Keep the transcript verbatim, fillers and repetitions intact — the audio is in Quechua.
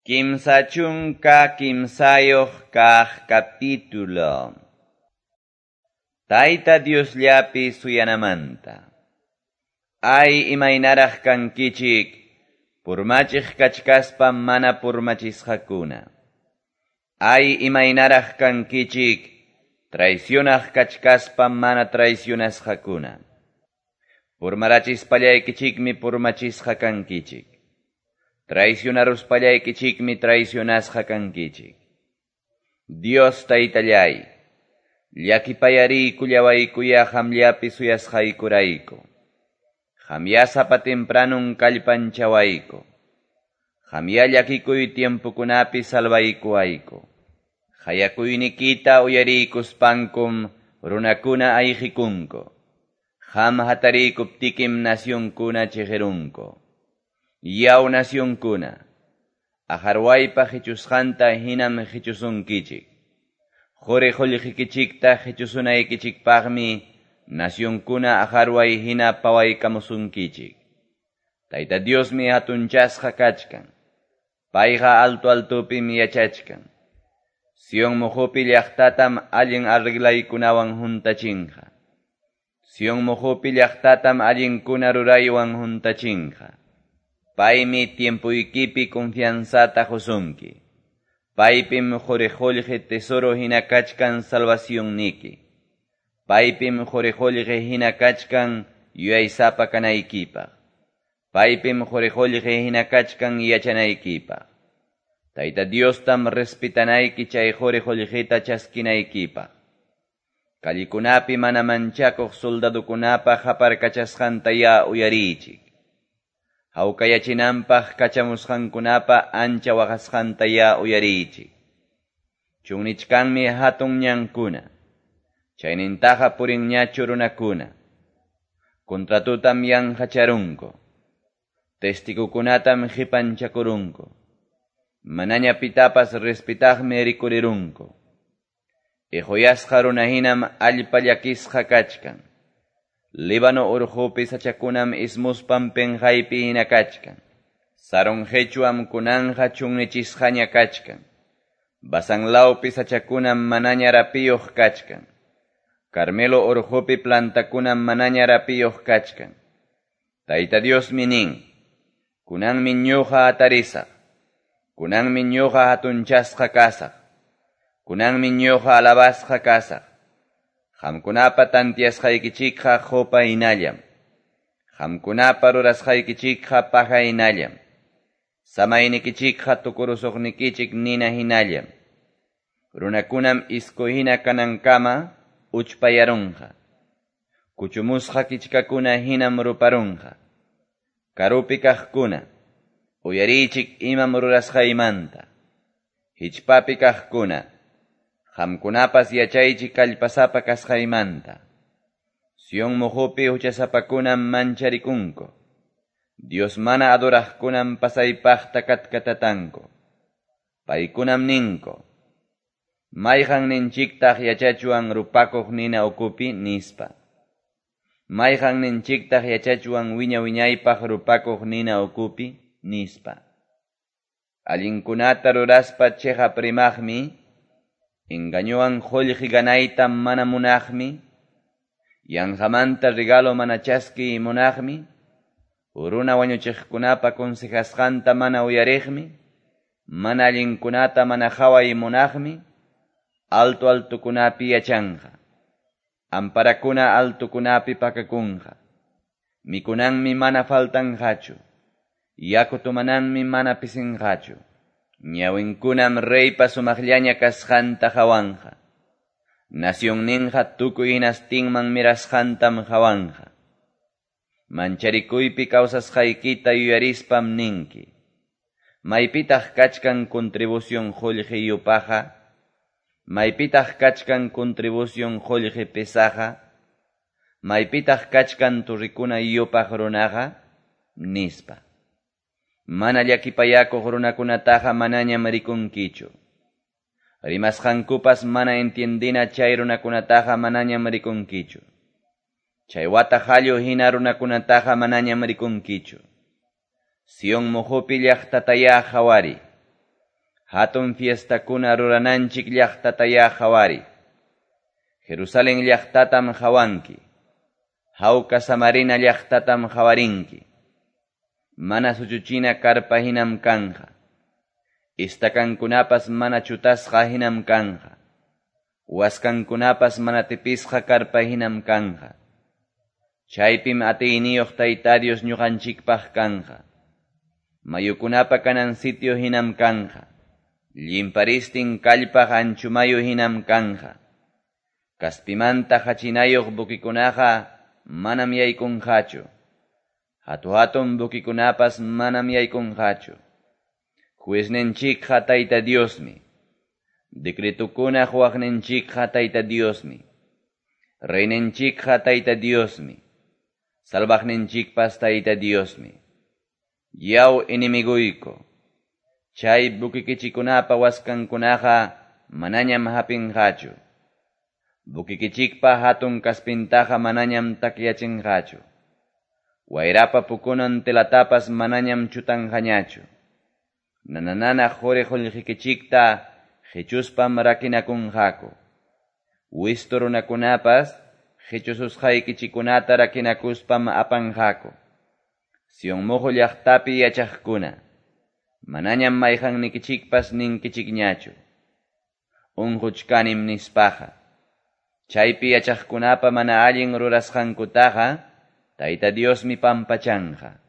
Kimsa chunka kimsayuq kaq capítulo. Tayta Diosllapi suyanamanta. Ay imaynaraq kankichik, purmachiq kachkaspa mana purmachisqakuna. Ay imaynaraq kankichik, traicionaq kachkaspa mana traicionasqakuna. Purmarachispallaykichikmi purmachisqa kankichik. Traicionaruspallaykichikmi traicionasqa kankichik. Dios taytallay, llakipayariykullawaykuya qamllapi suyasqaykurayku. Qamya sapa tempranun kallpanchawayku. Qamya llakikuy tiempokunapi salvaykuwayku. Qayakuynikita uyariykuspankum runakuna ayqikunku. Qam hatariykuptikim nacionkuna chiqirunku. Yaw nacionkuna, aqharwaypa qichusqanta hinam qichusunkichik. Quri qullqikichikta qichusunaykichikpaqmi nacionkuna aqharway hina pawaykamusunkichik. Tayta Diosmi hatunchasqa kachkan. Payqa alto altupim yachachkan. Sion muhupi llaqtatam allin arreglaykunawan huntachinqa. Sion muhupi llaqtatam allinkuna ruraywan huntachinqa. Paymi tiempuykipi confianzata qusunki. Paypim quri qullqi tesoro hina kachkan salvacionniki. Paypim quri qullqi hina kachkan yuyaysapa kanaykipaq. Paypim quri qullqi hina kachkan yachanaykipaq. Tayta Diostam respetanayki chay quri qullqita chaskinaykipaq. Kallikunapi mana manchakuq soldadukunapa qaparkachasqanta ya uyariychik. Hawkayachinanpaq kachamusqankunapa ancha waqasqanta ya uyariychik. Chunnichkanmi hatun ñankuna. Chaynintaqa purinñachu runakuna. Contratutam yanqacharunku. Testigukunatam qipanchakurunku. Manaña pitapas respetaqmi rikurirunku. Iquyasqa runahinam allpa llakisqa kachkan. Líbano urqupi sachakunam ismuspan penqaypi hina kachkan. Sarón qhichwam kunanqa chunnichisqaña kachkan. Basán lawpi sachakunam manaña rapiyuq kachkan. Carmelo urqupi plantakunam manaña rapiyuq kachkan. Tayta Diosmi nin, kunanmi ñuqa hatarisaq. Kunanmi ñuqa hatunchasqa kasaq. Kunanmi ñuqa alabasqa kasaq. Qamkunapa tantiasqaykichikqa qupa hinallam. Qamkunapa rurasqaykichikqa paja hinallam. Samaynikichikqa tukurusuqnikichik nina hinallam. Runakunam isku hina kanankama uchpayarunqa. Kuchumusqa kichkakuna hinam ruparunqa. Karupi kaqkuna, uyariychik imam rurasqaymanta. Hichpapi kaqkuna, qamkunapas yachaychik kallpasapa kasqaymanta. Sion muhupi huchasapakunam mancharikunku. Dios mana adoraqkunam pasaypaqta katkatatanku. Paykunam ninku, mayqan ninchiktaq yachachuwan rupakuq nina ukupi nispa. Mayqan ninchiktaq yachachuwan wiña wiñaypaq rupakuq nina ukupi nispa. Allinkunata ruraspa chiqap rimaqmi, engañowan qullqi ganayta mana munaqmi, yanqamanta regalo mana chaskiy munaqmi, runa wañuchiqkunapa consejasqanta mana uyariqmi, mana allinkunata mana qhaway munaqmi, alto altukunapi yachanqa. Amparakuna altukunapi pakakunqa. Mikunanmi mana faltanqachu. Yaku tumananmi mana pisinqachu. Ñawinkunam reypa sumaqllaña kasqanta qhawanqa. Nacionninqa tukuy hinastinman mirasqantam qhawanqa. Mancharikuypi kawsasqaykita yuyarispam ninki. Maypitaq kachkan contribución qullqi yupaqa? Maypitaq kachkan contribución qullqi pesaqa? Maypitaq kachkan turrikuna yupaq runaqa? Nispa. Mana llakipayakuq runakunataqa manañam rikunkichu. Rimasqankupas mana entiendina chay runakunataqa manañam rikunkichu. Chay wata qallu hina runakunataqa manañam rikunkichu. Sion muhupi llaqtataya qhawari. Hatun fiestakuna rurananchik llaqtatayá qawariy. Jerusalen llaqtatam qawanki. Hawka samarina llaqtatam qawarinki. Mana suchuchina karpa hinam kanqa. Istakankunapas mana chutasqa hinam kanqa. Waskankunapas mana tipisqa karpa hinam kanqa. Chaypim atiyniyuq Tayta Dios ñuqanchikpaq kanqa. Mayukunapa kanan sitio hinam kanqa. Llimparistin kallpaq anchumayu hinam kanqa. Kaspimanta hachinayuq bukikunaqa manam yaykunqachu. Hatu-hatun bukikunapas manam yaykunqachu. Juezninchikqa Tayta Diosmi. Decretukuna huwaqninchikqa Tayta Diosmi. Reyninchikqa Tayta Diosmi. Salvaqninchikpas Tayta Diosmi. Yaw enemiguyku. Chay bukikichikunapa waskankunaqa manañam hapinqachu. Bukikichikpa hatun kaspintaqa manañam takyachinqachu. Wayrapa pukunan telatapas manañam chutanqañachu. Nananana quri qullqikichikta qichuspam rakinakunqaku. Wistu runakunapas qichususqaykichikunata rakinakuspam apanqaku. Sion muhu llaqtapi yachaqkuna, manañam mayqannikichikpas ninkichikñachu. Unquchkanim nispaqa. Chaypi yachaqkunapa mana allin rurasqankutaqa, Tayta Diosmi pampachanqa.